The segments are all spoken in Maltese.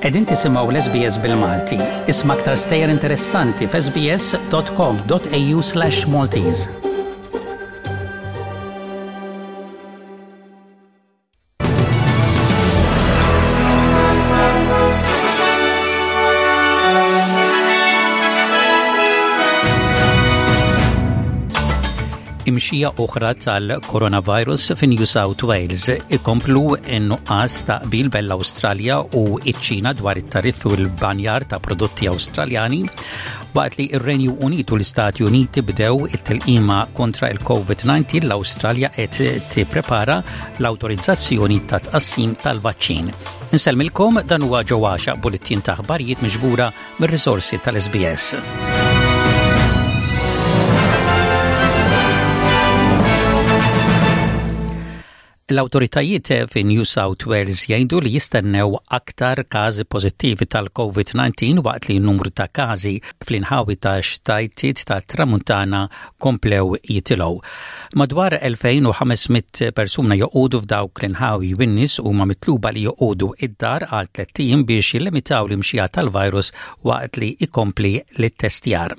Qegħdin tisimgħu l-SBS bil-Malti. Isma' aktar stejjer interessanti f'sbs.com.au/Maltese. Imxija oħra tal-coronavirus fi New South Wales ikomplu n-nuqqas ta' qbil bejn l-Awstralja u ċ-Ċina dwar it-tariffi u l-banjar ta' prodotti Awstraljani waqt li r-Renju Unit u l-Istati Uniti bdew it-tilqima kontra il-COVID-19 l-Awstralja qed tipprepara l-awtorizzazzjoni ta' tqassim tal-vaċċin. Insellmilkom dan huwa ġewwaxa bulletin ta' aħbarijiet miġbura mir-risorsi tal-SBS. L-awtoritajiet fi New South Wales jgħidu li jistennew aktar każi pożittivi tal-COVID-19 waqt li n-numru ta' każi fl-inħawi ta' xtajtiet ta' tramuntana komplew jitilgħu. Madwar 2500 persuna joqogħdu f'dawk l-inħawi u n-nies huma mitluba li joqogħdu id-dar għal tlett ijiem biex jillimitaw l-imxija tal-virus waqt li jkompli l-ittestjar.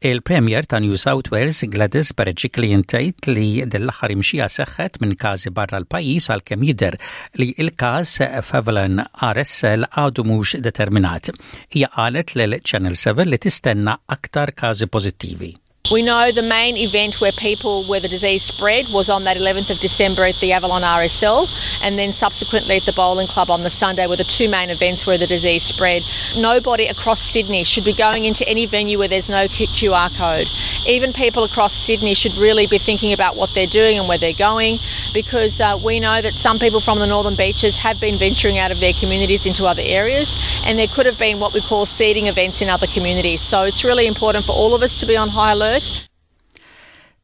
Il-Premier ta' New South Wales Gladys Berejiklian tgħid li din l-aħħar imxija seħħet minn każi barra l-pajjiż għalkemm jidher li l-każ f'Avalon RSL għadu mhux determinat. Hija qalet lil Channel 7 li tistenna aktar każi pożittivi. We know the main event where people, where the disease spread was on that 11th of December at the Avalon RSL and then subsequently at the bowling club on the Sunday were the two main events where the disease spread. Nobody across Sydney should be going into any venue where there's no QR code. Even people across Sydney should really be thinking about what they're doing and where they're going because uh, we know that some people from the northern beaches have been venturing out of their communities into other areas and there could have been what we call seeding events in other communities. So it's really important for all of us to be on high alert.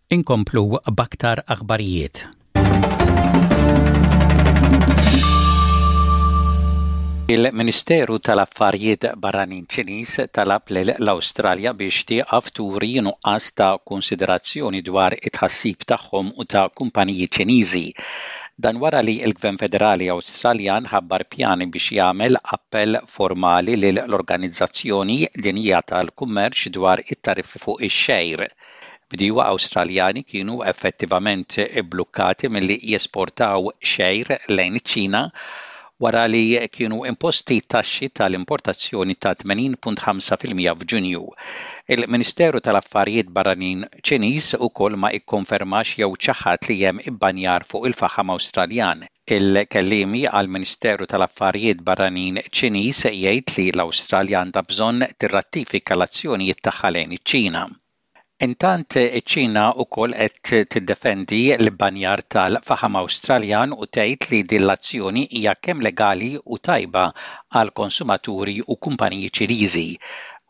Inkomplu b'aktar aħbarijiet. Il-Ministeru tal-Affarijiet Barranin Ċiniż talab lil l-Awstralja biex tieqaf turi nuqqas ta' konsiderazzjoni dwar it-tħassib tagħhom u ta' kumpaniji Ċiniżi. Dan wara li l-Gvern Federali Awstraljan ħabbar pjani biex jagħmel appell formali lil l-Organizzazzjoni Dinjija tal-Kummerċ dwar it-tariffi fuq ix-xgħir. Bdiewa Awstraljani kienu effettivament ibblukkati milli jesportaw xgħir lejn iċ-Ċina wara li kienu imposti taxxi tal-importazzjoni ta' 80.5% f'Ġunju. Il-Ministeru tal-Affarijiet Barranin Ċiniż ukoll ma ikkonfermax jew ċaħad li hemm ibbanjar fuq il-faħam Awstraljan. Il-kelliemi għall-Ministeru tal-Affarijiet Barranin Ċiniż jgħid li l-Awstralja għandha bżonn tirratifika l-azzjonijiet tagħha lejn iċ-Ċina. Intant, iċ-Ċina wkoll qed tiddefendi l-ibbanjar tal-faħam Awstraljan u tgħid li din l-azzjoni hija kemm legali u tajba għall-konsumaturi u kumpaniji Ċiniżi.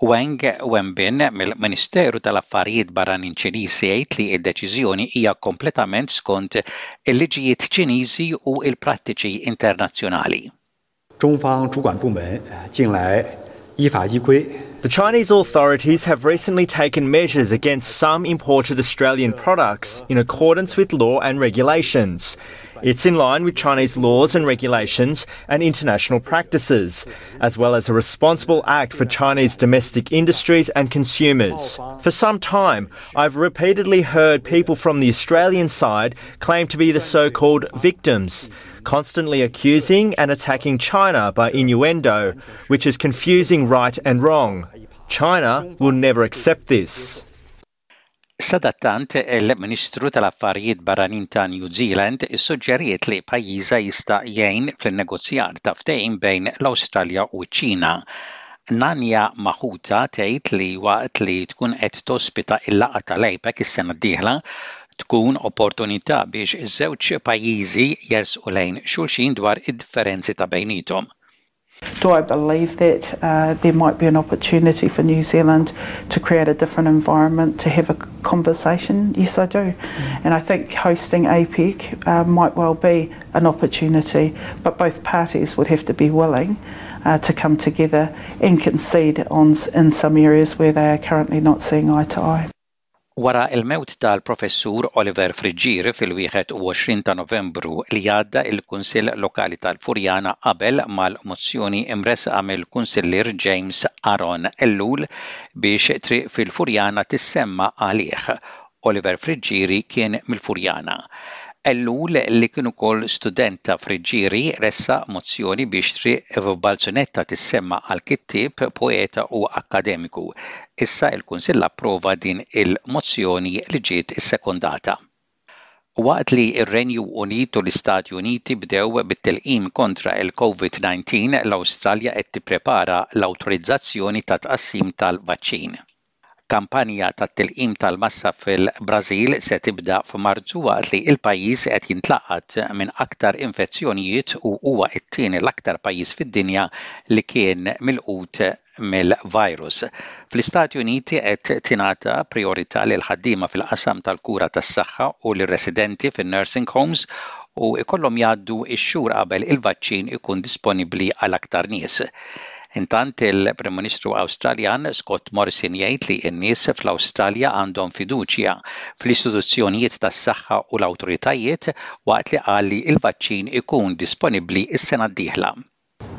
Wang Wenbin mill-Ministeru tal-Affarijiet Barranin Ċiniż jgħid li d-deċiżjoni hija kompletament skont il-liġijiet Ċiniżi u l-prattiċi internazzjonali. 中方主管部门近来依法依规 The Chinese authorities have recently taken measures against some imported Australian products in accordance with law and regulations. It's in line with Chinese laws and regulations and international practices, as well as a responsible act for Chinese domestic industries and consumers. For some time, I've repeatedly heard people from the Australian side claim to be the so called victims constantly accusing and attacking China by innuendo, which is confusing right and wrong. China will never accept this. Sadattant, il-Ministru tal-Affarijiet Barranin ta' New Zealand issuġġeriet li pajjiżha jista' jgħin fl-innegozjar ta' ftehim bejn l-Awstralja u ċ-Ċina. Nanya Mahuta tgħid li waqt li tkun qed tospita l-laqgħa tal-APEC is-sena d-dieħla, tkun opportunità biex iż-żewġ pajjiżi jersqu lejn xulxin dwar id-differenzi ta' bejniethom. Do I believe that uh, there might be an opportunity for New Zealand to create a different environment to have a conversation? Yes, I do. Mm. And I think hosting APEC uh, might well be an opportunity, but both parties would have to be willing uh, to come together and concede on in some areas where they are currently not seeing eye to eye. Wara l-mewt tal-Professur Oliver Friggieri fil-21 ta' Novembru li għadda il-Kunsill Lokali tal-Furjana qabel mal-mozzjoni mressqa mill-Kunsillier James Aaron Ellul biex triq fil-Furjana tissemma għalih. Oliver Friggieri kien mill-Furjana. Ellul, li kien ukoll student ta' Friggieri, ressaq mozzjoni biex triq f'Balzunetta tissemma għal kittieb, poeta u akkademiku. Issa l-Kunsill approva din il-mozzjoni li ġiet issekondata. Waqt li r-Renju Unit u l-Istati Uniti bdew bit-tilqim kontra l-Covid-19, l-Awstralja qed tipprepara l-awtorizzazzjoni ta' tqassim tal-vaċċin. Kampanja tat-tilqim tal-massa fil-Brażil se tibda f'Marzu waqt li l-pajjiż qed jintlaqat minn aktar infezzjonijiet u huwa t-tieni l-aktar pajjiż fid-dinja li kien milqut mill-virus. Fl-Istati Uniti qed tingħata prijorità lill-ħaddiema fil-qasam tal-kura tas-saħħa u lir-residenti fin-nursing homes u jkollhom jgħaddu x-xhur qabel il-vaċċin ikun disponibbli għal aktar nies. Intant, il-Prim Ministru Awstraljan Scott Morrison jgħid li n-nies fl-Awstralja għandhom fiduċja fl-istituzzjonijiet tas-saħħa u l-awtoritajiet waqt li qal li l-vaċċin ikun disponibbli s-sena d-dieħla.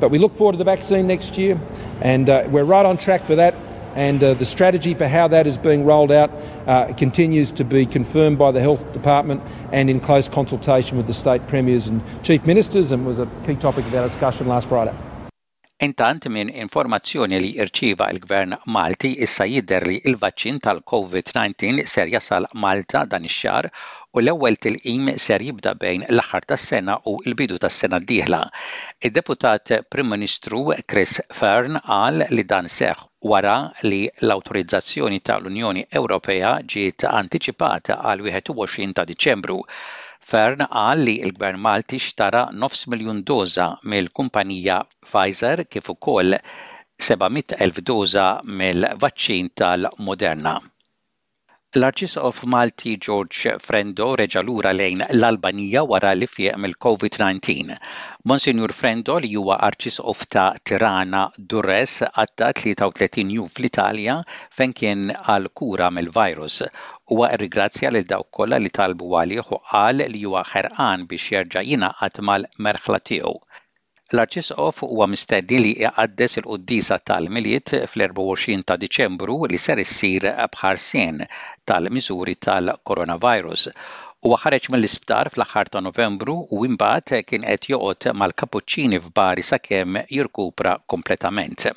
But we look forward to the vaccine next year and uh, we're right on track for that and uh, the strategy for how that is being rolled out uh, continues to be confirmed by the Health Department and in close consultation with the state premiers and chief ministers and was a key topic of our discussion last Friday. Intant minn informazzjoni li rċieva l-Gvern Malti issa jidher li l-vaċċin tal-Covid-19 ser jasal Malta dan ix-xahar u l-ewwel tilqim ser jibda bejn l-aħħar tas-sena u l-bidu tas-sena d-dieħla. Id-Deputat Prim Ministru Chris Fearne qal li dan seħħ wara li l-awtorizzazzjoni tal-Unjoni Ewropea ġiet antiċipata għal 21 ta' Diċembru. Fearne qal li l-Gvern Malti xtara nofs miljun doża mill-kumpanija Pfizer kif ukoll 700,000 doża mill-vaċċin tal-Moderna. L-Arċisqof Malti George Frendo reġa' lura lejn l-Albanija wara li fieq mill-Covid-19. Monsinjur Frendo li huwa Arċisqof ta' Tirana Durrës għadda 33 jum fl-Italja fejn kien għal kura mill-virus. Huwa rrigrazzja lil dawk kollha li talbu għalih u qal li huwa ħerqan biex jerġa' jingħaqad mal-merħla tiegħu. L-Arċisqof huwa mistenni li jqaddes il-quddiesa tal-Milied fl-24 ta' Diċembru li ser issir b'ħarsien tal-miżuri tal-coronavirus. Huwa ħareġ mill-isptar fl-aħħar ta' Novembru u imbagħad kien qed joqgħod mal-Kapuċċini f'Bari sakemm jirkupra kompletament.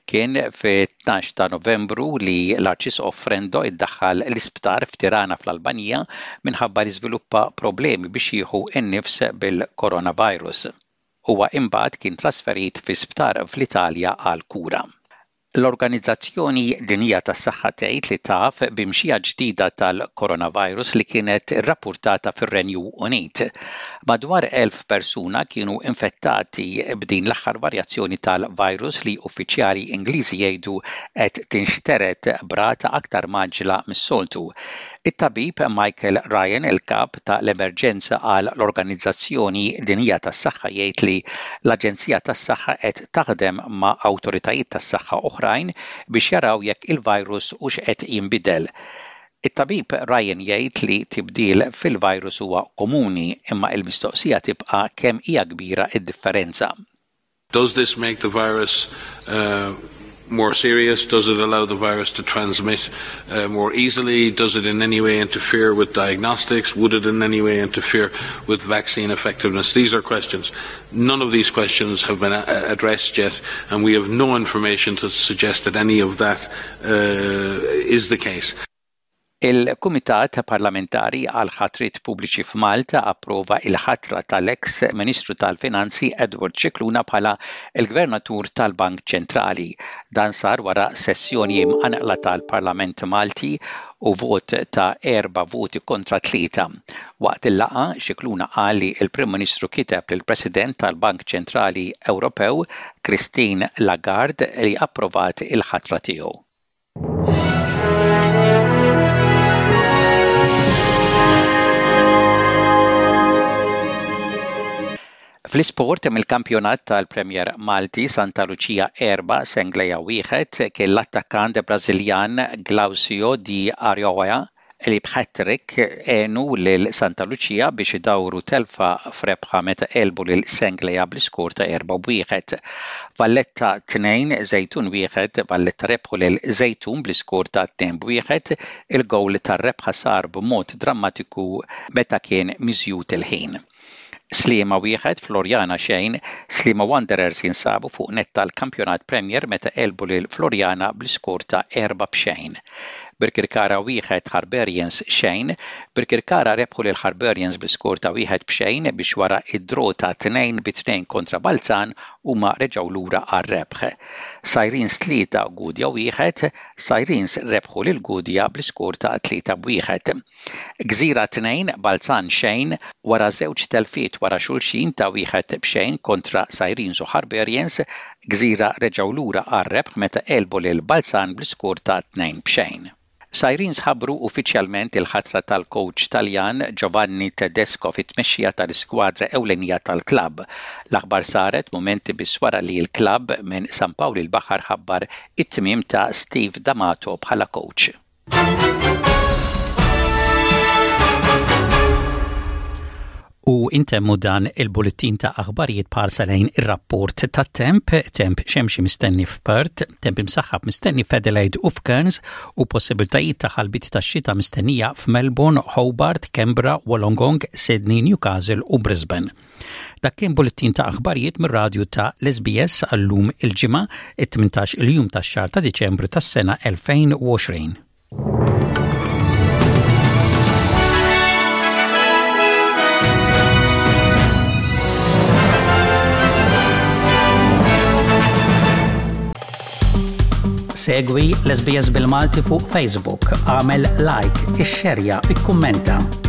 Kien fit-12 ta' Novembru li l-Arċisqof Frendo iddaħħal l-isptar f'Tirana fl-Albanija minħabba li żviluppa problemi biex jieħu n-nifs bil-coronavirus. Huwa imbagħad kien trasferit fi sptar fl-Italja għall-kura. L-Organizzazzjoni Dinjija tas-Saħħa tgħid li taf b'imxija ġdida tal-coronavirus li kienet irrappurtata fir-Renju Unit. Madwar 1,000 persuna kienu infettati b'din l-aħħar varjazzjoni tal-virus li uffiċjali Ingliżi jgħidu qed tinxtered b'rata aktar mgħaġġla mis-soltu. It-tabib Michael Ryan, il-kap ta' l-emerġenza għal l-Organizzazzjoni Dinjija tas-Saħħa jgħid li l-Aġenzija tas-Saħħa qed taħdem ma' awtoritajiet tas-saħħa oħrajn biex jaraw jekk il-virus hux qed jinbidel. It-tabib Ryan jgħid li tibdil fil-virus huwa komuni imma l-mistoqsija tibqa' kemm hija kbira d-differenza. Does this make the virus uh, more serious? Does it allow the virus to transmit uh, more easily? Does it in any way interfere with diagnostics? Would it in any way interfere with vaccine effectiveness? These are questions. None of these questions have been uh, addressed yet, and we have no information to suggest that any of that uh, is the case. Il-Kumitat Parlamentari għall-Ħatriet Pubbliċi f'Malta approva l-ħatra tal-eks Ministru tal-Finanzi Edward Scicluna bħala l-Gvernatur tal-Bank Ċentrali. Dan sar wara sessjoni mqanqla tal-Parlament Malti u vot ta' erba' voti kontra tlieta. Waqt il-laqgħa, Scicluna qal li l-Prim Ministru kiteb lill-President tal-Bank Ċentrali Ewropew, Christine Lagarde li approvat il-ħatra tiegħu. Fl-isport mill-kampjonat tal-Premier Malti Santa Lucia 4 Senglea 1 kien l-attakkant Brażiljan Glaucio Di Arioa li b'hat-trick għenu lil Santa Lucia biex idawru telfa f'rebħa meta għelbu lil Senglea bl-iskor ta' 4 b'wieħed. Valletta 2, Żejtun 1, Valletta rebħu lil Żejtun bl-iskor ta' 2 b'wieħed, il-gowl tar-rebħa sar b'mod drammatiku meta kien miżjud il-ħin. Sliema 1, Floriana xejn, Sliema Wanderers jinsabu fuq nett tal-Kampjonat Premier meta għelbu lil Floriana bl-iskor ta' 4 b'xejn. Birkirkara 1, Harbarians xejn, Birkirkara rebħu lil Harbarians bl-iskor ta' 1 b'xejn biex wara d-draw ta' 2 bi 2 kontra Balzan huma reġgħu lura għar-rebħ. Sirens 3, Gudja 1, Sirens rebħu lil Gudja bl-iskor ta' 3 b'wieħed. Gżira 2, Balzan xejn, Wara żewġ telfiet wara xulxin ta' wieħed b'xejn kontra Sirens u Harbarians, Gżira reġgħu lura għar-rebħ meta għelbu lil Balzan bl-iskor ta' 2 b'xejn. Sirens ħabbru uffiċjalment il-ħatra tal-kowċ Taljan Giovanni Tedesco fit-tmexxija tal-iskwadra ewlenija tal-klabb. L-aħbar saret mumenti biss wara li l-klabb minn San Pawl il-Baħar ħabbar it-tmiem ta' Steve D'Amato bħala kowċ. U intemmu dan il-bullettin ta' aħbarijiet b'ħarsa lejn ir-rapport tat-temp, temp xemxi mistenni f'Perth, temp imsaħħab mistenni f'Adelaide u f'Cairns u possibiltajiet ta' ħalbiet tax-xita mistennija f'Melbourne, Hobart, Canberra, Wollongong, Sydney, Newcastle u Brisbane. Dak kien bullettin ta' aħbarijiet mir-radju ta' l-SBS għal-lum il-Ġimgħa, it-18 il-jum tax-xahar ta' Diċembru tas-sena 2020. Segwi l-SBS bil-Malti fuq Facebook, għamel like, ixxerja, ikkummenta.